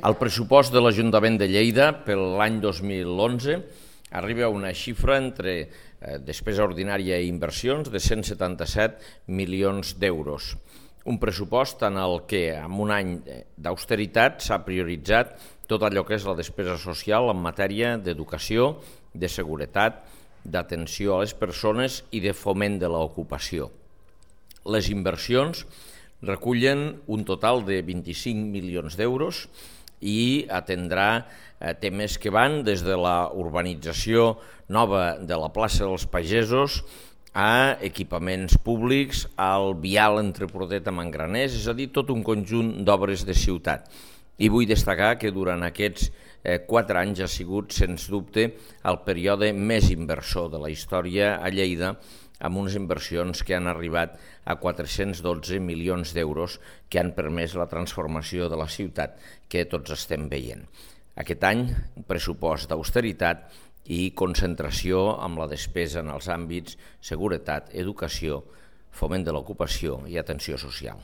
El pressupost de l'Ajuntament de Lleida per l'any 2011 arriba a una xifra entre despesa ordinària i inversions de 177 milions d'euros. Un pressupost en el que, en un any d'austeritat, s'ha prioritzat tot allò que és la despesa social en matèria d'educació, de seguretat, d'atenció a les persones i de foment de l'ocupació. Les inversions recullen un total de 25 milions d'euros i atendrà temes que van des de la urbanització nova de la plaça dels Pagesos a equipaments públics, al vial entre Prodeta i Mangraners, és a dir, tot un conjunt d'obres de ciutat. I vull destacar que durant aquests 4 anys ha sigut, sens dubte, el període més inversor de la història a Lleida, amb unes inversions que han arribat a 412 milions d'euros que han permès la transformació de la ciutat que tots estem veient. Aquest any, un pressupost d'austeritat i concentració amb la despesa en els àmbits seguretat, educació, foment de l'ocupació i atenció social.